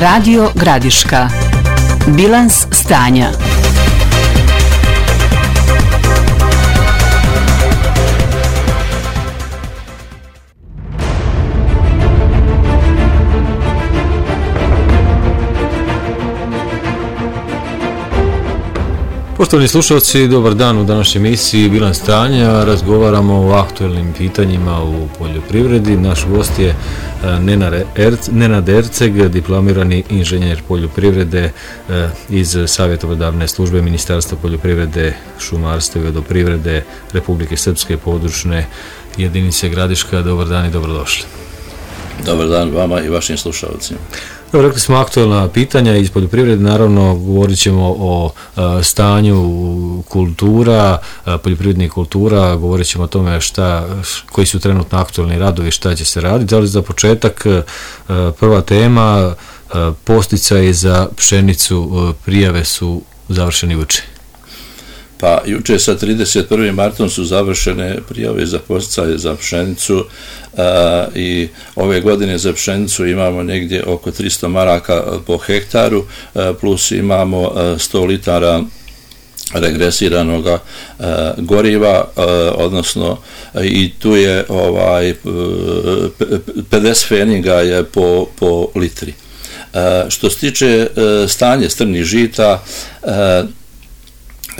Radio Gradiška. Bilans stanja. Poštovani slušalci, dobar dan. U današnjoj emisiji Bilans stanja razgovaramo o aktualnim pitanjima u poljoprivredi. Naš gost je Nenad Erceg, diplomirani inženjer poljoprivrede iz savjetodavne službe Ministarstva poljoprivrede, šumarstva i vodoprivrede Republike Srpske područne jedinice Gradiška. Dobar dan i dobrodošli. Dobar dan vama i vašim slušalcima. Evo, rekli smo aktualna pitanja iz poljoprivrede, naravno govorit ćemo o stanju kultura, poljoprivrednih kultura, govorit ćemo o tome koji su trenutno aktualni radovi, šta će se raditi, ali za početak prva tema, podsticaji za pšenicu, prijave su završeni juče. Pa juče sa 31. martom su završene prijave za podsticaje za pšenicu i ove godine za pšenicu imamo negdje oko 300 maraka po hektaru, plus imamo 100 litara regresiranog goriva, odnosno i tu je 50 feninga je po litri. Što se tiče stanje strnih žita,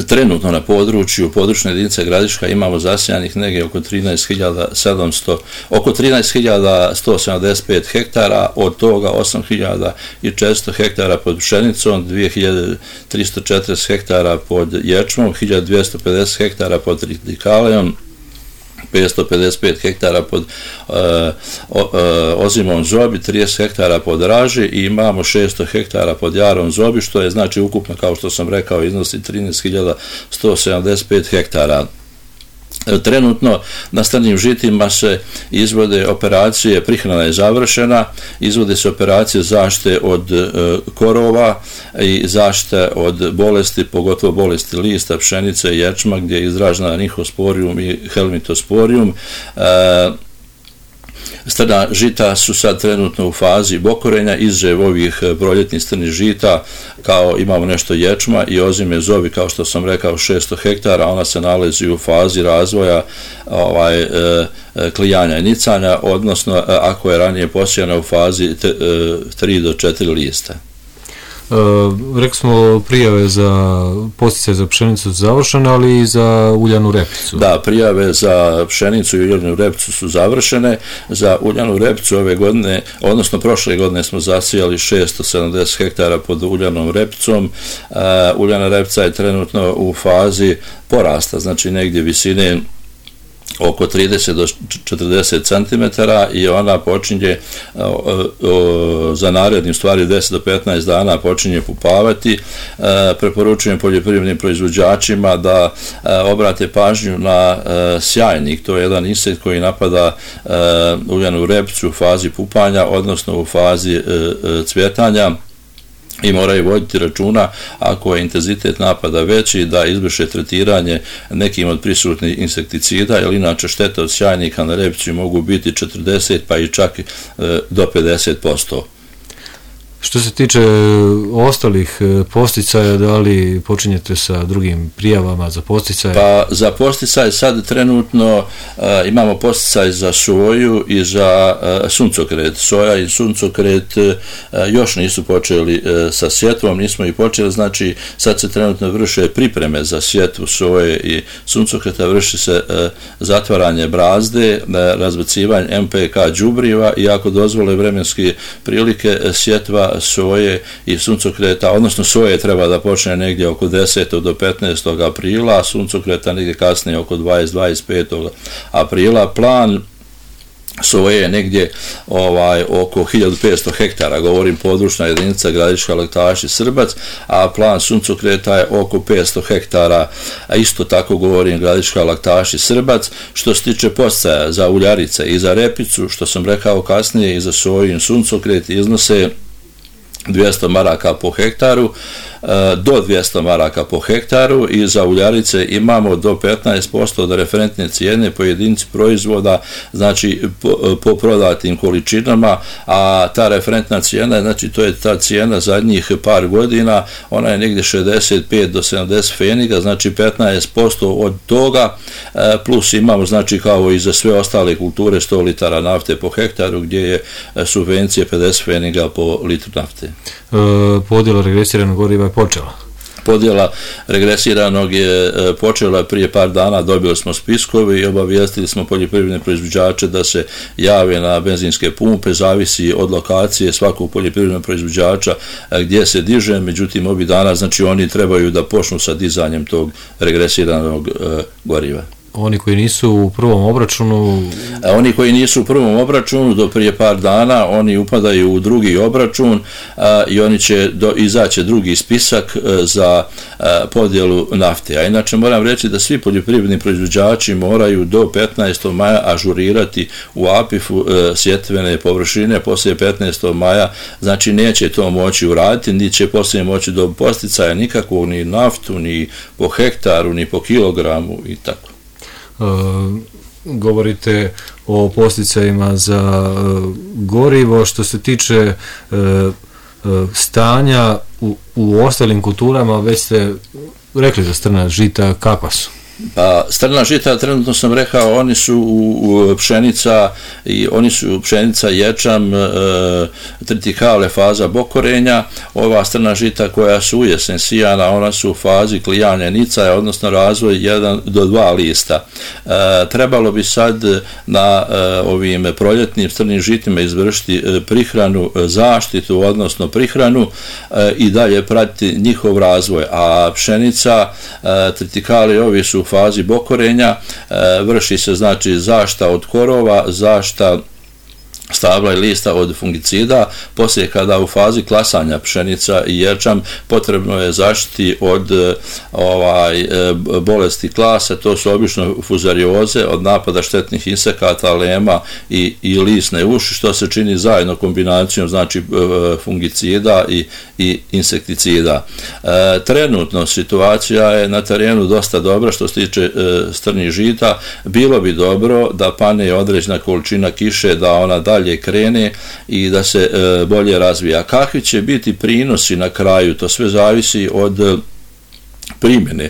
trenutno na području područne jedinice Gradiška imamo zasijanih negdje oko 13.175 hektara, od toga 8.400 hektara pod pšenicom, 2.340 hektara pod ječmom, 1.250 hektara pod tritikaleom, 555 hektara pod ozimom zobi, 30 hektara pod raži i imamo 600 hektara pod jarom zobi, što je znači ukupno, kao što sam rekao, iznosi 13.175 hektara. Trenutno na strnim žitima se izvode operacije, prihrana je završena, izvode se operacije zaštite od korova i zaštite od bolesti, pogotovo bolesti lista, pšenice i ječma, gdje je izražena nihosporium i helmintosporium. Strna žita su sad trenutno u fazi bokorenja, izuzev ovih proljetnih strnih žita, kao imamo nešto ječma i ozime zobi, kao što sam rekao, 600 hektara, ona se nalazi u fazi razvoja klijanja i nicanja, odnosno ako je ranije posijana u fazi 3 do 4 lista. Rekli smo prijave za podsticaje za pšenicu završene, ali i za uljanu repicu. Da, prijave za pšenicu i uljanu repicu su završene. Za uljanu repicu ove godine, odnosno prošle godine smo zasijali 670 hektara pod uljanom repicom. Uljana repica je trenutno u fazi porasta, znači negdje visine oko 30 do 40 cm i ona počinje za narednim stvari 10 do 15 dana počinje pupavati. Preporučujem poljoprivrednim proizvođačima da obrate pažnju na sjajnik, to je jedan insekt koji napada uljanu repicu u fazi pupanja, odnosno u fazi cvjetanja, i moraju voditi računa ako je intenzitet napada veći da izvrše tretiranje nekim od prisutnih insekticida, jer inače štete od sjajnika na repici mogu biti 40 pa i čak do 50%. Što se tiče ostalih podsticaja, da li počinjete sa drugim prijavama za podsticaje? Pa za podsticaje sad trenutno imamo podsticaj za soju i za suncokret. Soja i suncokret još nisu počeli sa sjetvom, nismo i počeli, znači sad se trenutno vrše pripreme za sjetvu soje i suncokreta, vrši se zatvaranje brazde, razbacivanje MPK đubriva i ako dozvole vremenske prilike, sjetva soje i suncokreta, odnosno soje treba da počne negdje oko 10. do 15. aprila, a suncokreta negdje kasnije oko 20-25. aprila. Plan soje je negdje oko 1500 hektara, govorim područna jedinica Gradiška, Laktaši, Srbac, a plan suncokreta je oko 500 hektara, a isto tako govorim Gradiška, Laktaši, Srbac. Što se tiče podsticaja za uljarice i za repicu, što sam rekao kasnije, i za soju i suncokret iznose 200 maraka po hektaru. do 200 maraka po hektaru i za uljarice imamo do 15% od referentne cijene po jedinici proizvoda, znači po prodatim količinama, a ta referentna cijena, znači to je ta cijena zadnjih par godina, ona je negdje 65 do 70 pfeniga, znači 15% od toga, plus imamo znači kao i za sve ostale kulture 100 litara nafte po hektaru gdje je subvencije 50 pfeniga po litru nafte. Podjela regresiranog goriva je počela? Podjela regresiranog je počela prije par dana, dobili smo spiskovi i obavijestili smo poljoprivredne proizvođače da se jave na benzinske pumpe, zavisi od lokacije svakog poljoprivrednog proizvođača gdje se diže, međutim ovih dana znači oni trebaju da počnu sa dizanjem tog regresiranog goriva. Oni koji nisu u prvom obračunu? Oni koji nisu u prvom obračunu do prije par dana, oni upadaju u drugi obračun i oni će izaći drugi spisak za podjelu nafte. A inače moram reći da svi poljoprivredni proizvođači moraju do 15. maja ažurirati u APIF-u sjetvene površine poslije 15. maja, znači neće to moći uraditi, ni će poslije moći do posticaja nikakvog, ni naftu, ni po hektaru, ni po kilogramu i tako. Govorite o posticajima za gorivo. Što se tiče stanja u ostalim kulturama, već ste rekli za strna žita, kakva su? Pa strna žita, trenutno sam rekao, oni su pšenica i oni su pšenica, ječam, tritikale, faza bokorenja. Ova strna žita koja su u jesen sijana, ona su u fazi klijanja nicaja, odnosno razvoj 1 do 2 lista. Trebalo bi sad na ovim proljetnim strnim žitima izvršiti prihranu, zaštitu, odnosno prihranu i dalje pratiti njihov razvoj. A pšenica, tritikale, ovi su u fazi bokorenja, vrši se znači zaštita od korova, zaštita stabla i lista od fungicida. Poslije kada u fazi klasanja pšenica i ječam potrebno je zaštiti od bolesti klasa, to su obično fuzarioze, od napada štetnih insekata, lema i lisne uši, što se čini zajedno kombinacijom znači fungicida i insekticida. Trenutno situacija je na terenu dosta dobra što se tiče strnih žita. Bilo bi dobro da pane određena količina kiše, da ona dalje krene i da se bolje razvija. Kakvi će biti prinosi na kraju, to sve zavisi od primjene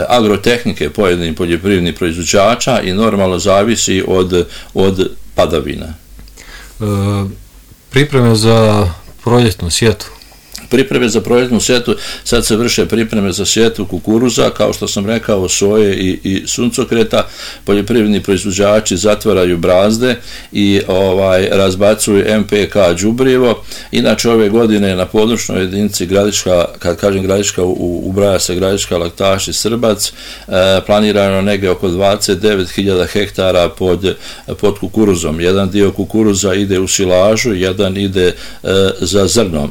agrotehnike pojedinih poljoprivrednih proizvođača i normalno zavisi od padavina. Pripreme za proljetnu sjetvu? Pripreme za proljetnu sjetvu, sad se vrše pripreme za sjetvu kukuruza, kao što sam rekao, soje i suncokreta. Poljoprivredni proizvođači zatvaraju brazde i razbacuju MPK đubrivo. Inače ove godine na područnoj jedinici Gradiška, kad kažem Gradiška, ubraja se Gradiška, Laktaš i Srbac, planirano negdje oko 29.000 hektara pod kukuruzom. Jedan dio kukuruza ide u silažu, jedan ide za zrno.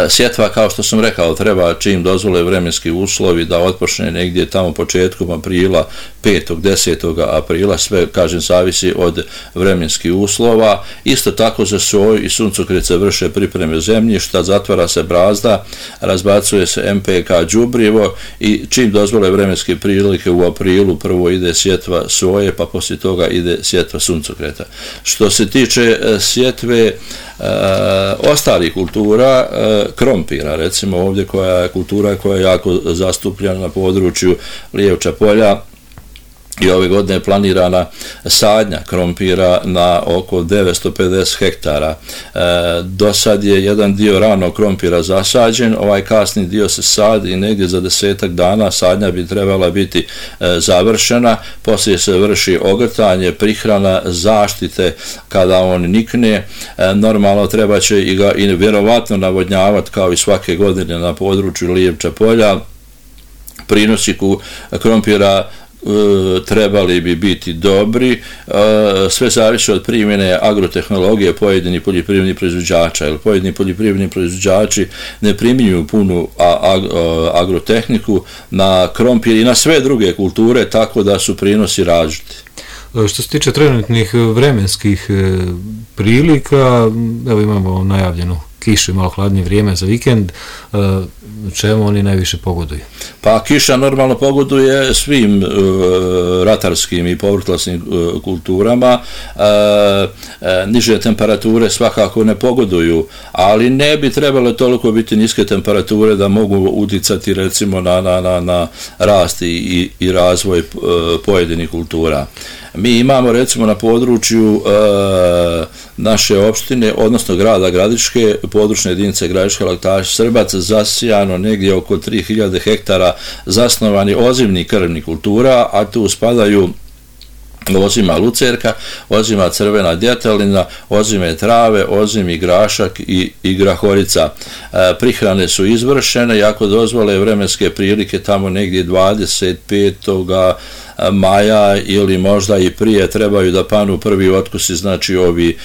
Sjetva, kao što sam rekao, treba čim dozvole vremenski uslovi da otpočne negdje tamo početkom aprila, 5. 10. aprila, sve, kažem, zavisi od vremenskih uslova. Isto tako za soju i suncokret se vrše pripreme zemljišta, zatvara se brazda, razbacuje se MPK đubrivo i čim dozvole vremenske prilike u aprilu prvo ide sjetva soje, pa poslije toga ide sjetva suncokreta. Što se tiče sjetve ostalih kultura, krompira, recimo ovdje koja je kultura koja je jako zastupljena na području Lijevča polja, i ove godine je planirana sadnja krompira na oko 950 hektara. Do sad je jedan dio ranog krompira zasađen, ovaj kasni dio se sadi i negdje za 10 dana sadnja bi trebala biti završena, poslije se vrši ogrtanje, prihrana, zaštite kada on nikne. Normalno treba će i ga i vjerovatno navodnjavati kao i svake godine na području Lijevča polja. Prinosi krompira trebali bi biti dobri, sve zavisi od primjene agrotehnologije pojedinih poljoprivrednih proizvođača, jer pojedini poljoprivredni proizvođači ne primjenjuju punu agrotehniku na krompir i na sve druge kulture, tako da su prinosi različiti. Što se tiče trenutnih vremenskih prilika, evo imamo najavljenu kišu i malo hladnije vrijeme za vikend, čemu oni najviše pogoduju? Pa kiša normalno pogoduje svim ratarskim i povrtlasnim kulturama, niže temperature svakako ne pogoduju, ali ne bi trebalo toliko biti niske temperature da mogu uticati recimo na rast i razvoj pojedinih kultura. Mi imamo recimo na području naše opštine, odnosno grada Gradiške, područne jedinice Gradiška Laktaš Srbac, zasijano negdje oko 3000 hektara zasnovani ozimnih krvnih kultura, a tu spadaju ozima lucerka, ozima crvena djetelina, ozime trave, ozimi grašak i grahorica. Prihrane su izvršene i ako dozvole vremenske prilike tamo negdje 25. maja ili možda i prije trebaju da panu prvi otkusi, znači ovi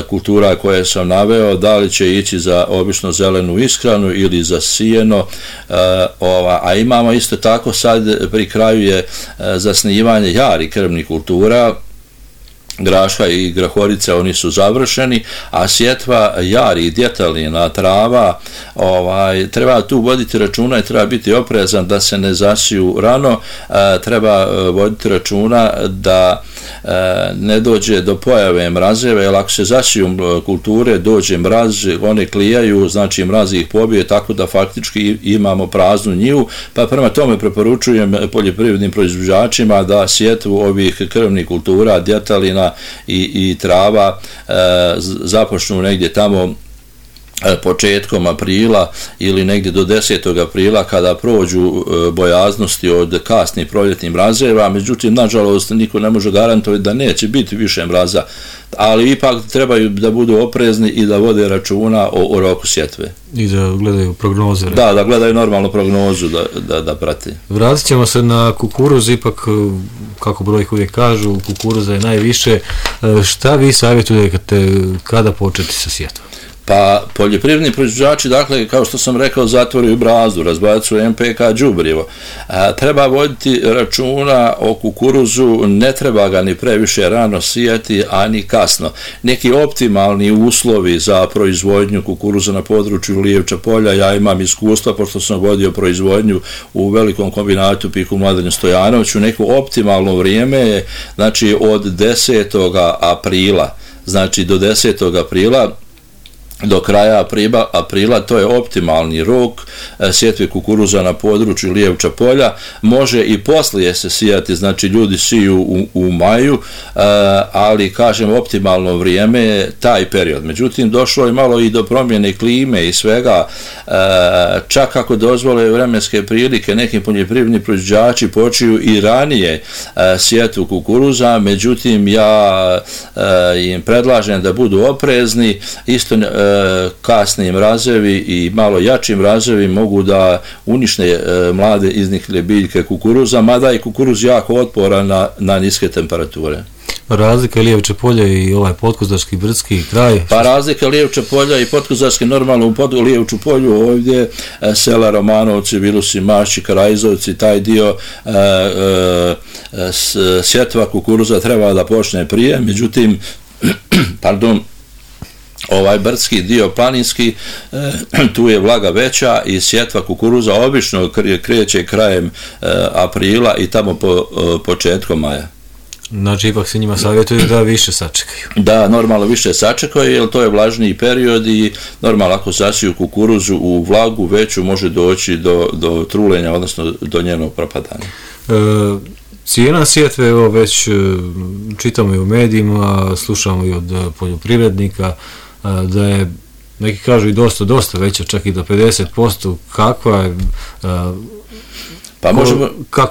kultura koje sam naveo, da li će ići za obično zelenu ishranu ili za sijeno, a imamo isto tako sad pri kraju je zasnivanje jari krvnih kultura, graška i grahorice, oni su završeni, a sjetva jari i djetelina, trava, treba tu voditi računa i treba biti oprezan da se ne zasiju rano, treba voditi računa da ne dođe do pojave mrazeva, jer ako se zasiju kulture, dođe mraz, one klijaju, znači mraz ih pobije, tako da faktički imamo praznu njivu, pa prema tome preporučujem poljoprivrednim proizvođačima da sjetvu ovih krvnih kultura, djetelina i trava započnu negdje tamo početkom aprila ili negdje do 10. aprila kada prođu bojaznosti od kasnih proljetnih mrazeva, međutim nažalost niko ne može garantovati da neće biti više mraza, ali ipak trebaju da budu oprezni i da vode računa o roku sjetve. I da gledaju prognoze. Da gledaju normalnu prognozu da prati. Vratit ćemo se na kukuruz, ipak kako brojke uvijek kažu, kukuruza je najviše. Šta vi savjetujete kada početi sa sjetvom? Pa poljoprivredni proizvođači, dakle, kao što sam rekao, zatvoraju brazdu, razbacuju NPK đubrivo. Treba voditi računa o kukuruzu, ne treba ga ni previše rano sijati, a ni kasno. Neki optimalni uslovi za proizvodnju kukuruza na području Lijevča polja, ja imam iskustva, pošto sam vodio proizvodnju u velikom kombinatu Piku Mladenju Stojanoviću, neko optimalno vrijeme je, znači, od 10. aprila, znači do 10. aprila, do kraja aprila, to je optimalni rok sjetve kukuruza na području Lijevča polja. Može i poslije se sijati, znači ljudi siju u maju, ali kažem optimalno vrijeme je taj period. Međutim, došlo je malo i do promjene klime i svega, čak ako dozvole vremenske prilike, neki poljoprivredni proizvođači počiju i ranije sjetvu kukuruza, međutim ja im predlažem da budu oprezni, isto kasni mrazevi i malo jači mrazevi mogu da unište mlade izniklje biljke kukuruza, mada je kukuruz jako otporan na niske temperature. Razlika Lijevče polje i ovaj Potkozarski brdski kraj? Pa razlika Lijevče polja i Potkozarski, normalno u Lijevču polju ovdje sela Romanovci, Vilusi, Mašći, Karajzovci, taj dio sjetva kukuruza treba da počne prije, međutim ovaj brdski dio planinski, tu je vlaga veća i sjetva kukuruza obično kreće krajem aprila i tamo početkom maja. Znači ipak se njima savjetuje da više sačekaju. Da, normalno više sačekaju, jer to je vlažniji period i normalno ako zasiju kukuruzu u vlagu veću može doći do trulenja, odnosno do njenog propadanja. Cijena sjetve, evo već čitamo i u medijima, slušamo i od poljoprivrednika, da je, neki kažu i dosta veća, čak i do 50%, kakva je,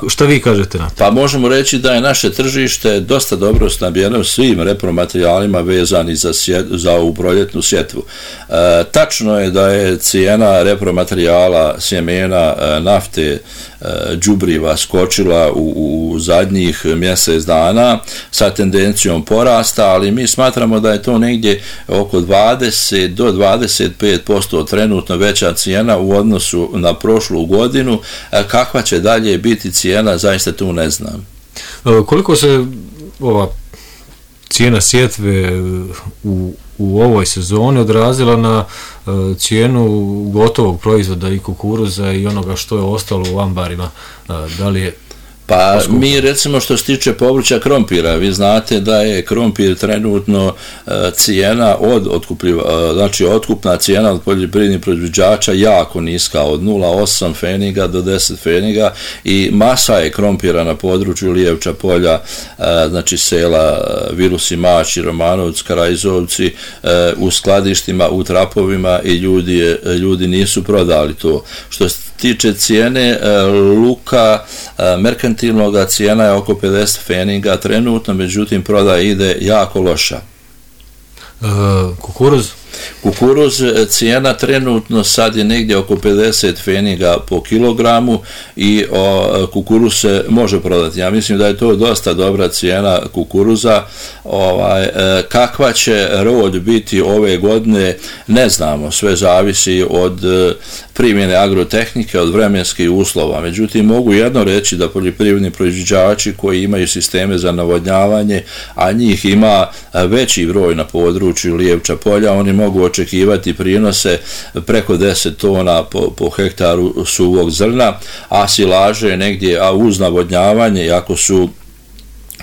šta vi kažete na to? Pa možemo reći da je naše tržište dosta dobro snabdjeno svim repromaterijalima vezani za ovu proljetnu sjetvu. Tačno je da je cijena repromaterijala, sjemena, nafte, đubriva skočila u zadnjih mjesec dana sa tendencijom porasta, ali mi smatramo da je to negdje oko 20 do 25% trenutno veća cijena u odnosu na prošlu godinu. Kakva će dalje biti cijena, zaista tu ne znam. Koliko se ova cijena sjetve u ovoj sezoni odrazila na cijenu gotovog proizvoda i kukuruza i onoga što je ostalo u ambarima? Da li je Pa mi recimo što se tiče povrća krompira, vi znate da je krompir trenutno cijena znači otkupna cijena od poljoprivrednih proizvođača jako niska, od 0,8 feniga do 10 feniga i masa je krompira na području Lijevča polja, znači sela Virusi, Mači, Romanovac, Karajzovci, u skladištima, u trapovima i ljudi nisu prodali to. Što se tiče cijene luka merkantilnog, cijena je oko 50 feniga trenutno, međutim prodaja ide jako loša. Kukuruz cijena trenutno sad je negdje oko 50 feniga po kilogramu i kukuruz se može prodati. Ja mislim da je to dosta dobra cijena kukuruza. Kakva će rod biti ove godine ne znamo, sve zavisi od primjene agrotehnike, od vremenskih uslova. Međutim, mogu jedno reći da poljoprivredni proizvođači koji imaju sisteme za navodnjavanje, a njih ima veći broj na području Lijevča polja, oni mogu očekivati prinose preko 10 tona po hektaru suvog zrna, a silaže negdje, a uz navodnjavanje, ako su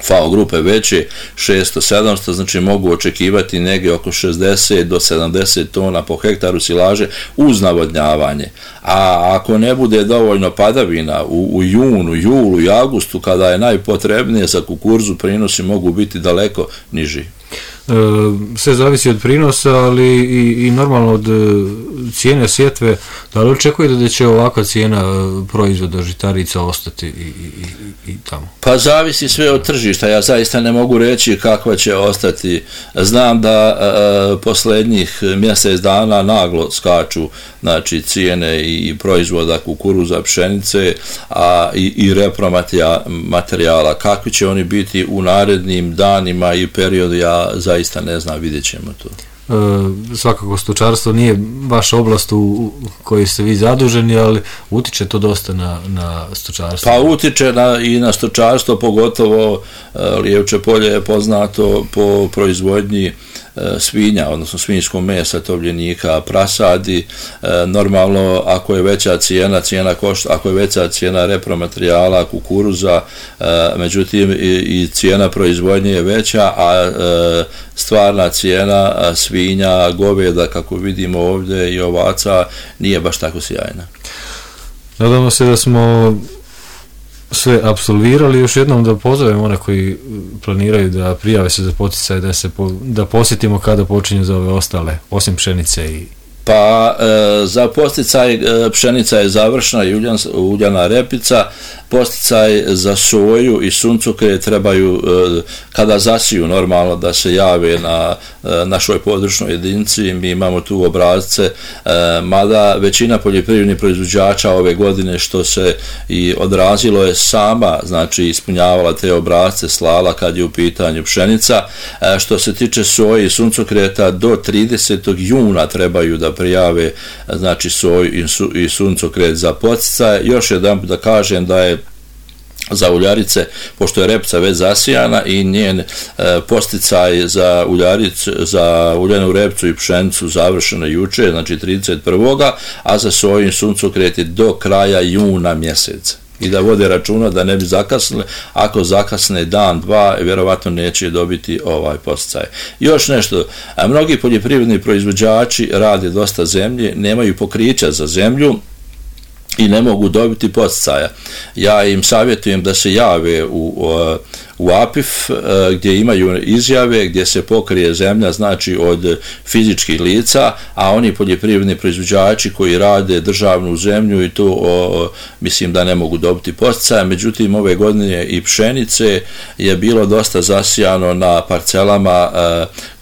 FAO grupe veće, 600-700, znači mogu očekivati negdje oko 60 do 70 tona po hektaru silaže uz navodnjavanje. A ako ne bude dovoljno padavina u junu, julu i augustu, kada je najpotrebnije za kukuruzu, prinosi mogu biti daleko niži. Sve zavisi od prinosa, ali i normalno od cijene sjetve. Da li očekujete da će ovakva cijena proizvoda žitarica ostati i tamo? Pa zavisi sve od tržišta. Ja zaista ne mogu reći kakva će ostati. Znam da posljednjih mjesec dana naglo skaču, znači cijene i proizvoda kukuruza, pšenice, a i repromaterijala. Kakvi će oni biti u narednim danima i periodu, ja zaista ne znam, vidjet ćemo to. Svakako stočarstvo nije vaša oblast u kojoj ste vi zaduženi, ali utiče to dosta na stočarstvo. Pa utiče i na stočarstvo, pogotovo Lijevče polje je poznato po proizvodnji svinja, odnosno svinjskog mesa, tovljenika, prasadi. Normalno, ako je veća cijena košta, ako je veća cijena repromaterijala, kukuruza, međutim i cijena proizvodnje je veća, a stvarna cijena svinja, goveda, kako vidimo ovdje, i ovaca nije baš tako sjajna. Nadamo se da smo sve apsolvirali. Još jednom da pozovem one koji planiraju da prijave se za poticaj, da posjetimo kada počinju za ove ostale, osim pšenice i... Pa za posticaj pšenica je završena i uljana repica, posticaj za soju i suncokret trebaju kada zasiju normalno da se jave na našoj područnoj jedinici. Mi imamo tu obrazce, mada većina poljoprivrednih proizvođača ove godine, što se i odrazilo, je sama, znači ispunjavala te obrazce, slala kad je u pitanju pšenica. Što se tiče soje i suncokreta, do 30. juna trebaju da prijave, znači soju i suncokret za poticaj. Još jedan da kažem da je za uljarice, pošto je repca već zasijana i njen posticaj za uljanu repcu i pšenicu završeno juče, znači 31. a za soju i suncokret je do kraja juna mjeseca. I da vode računa da ne bi zakasnili, ako zakasne dan, dva, vjerovatno neće dobiti ovaj posticaj. Još nešto, mnogi poljoprivredni proizvođači rade dosta zemlje, nemaju pokrića za zemlju i ne mogu dobiti poticaja. Ja im savjetujem da se jave u APIF gdje imaju izjave, gdje se pokrije zemlja, znači od fizičkih lica, a oni poljoprivredni proizvođači koji rade državnu zemlju i to mislim da ne mogu dobiti poticaja. Međutim, ove godine i pšenice je bilo dosta zasijano na parcelama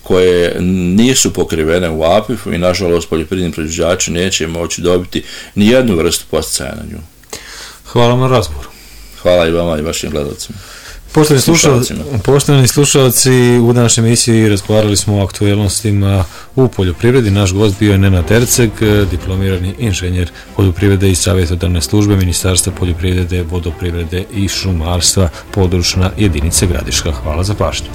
koje nisu pokrivene u APIF-u i nažalost poljoprivredni proizvođači neće moći dobiti ni jednu vrstu poticaja na nju. Hvala vam na razgovoru. Hvala i vama i vašim gledalcima. Poštovani slušalci, u današnjoj emisiji razgovarali smo o aktualnostima u poljoprivredi. Naš gost bio je Nenad Erceg, diplomirani inženjer poljoprivrede i savjetodavne službe Ministarstva poljoprivrede, vodoprivrede i šumarstva, područna jedinica Gradiška. Hvala za pažnju.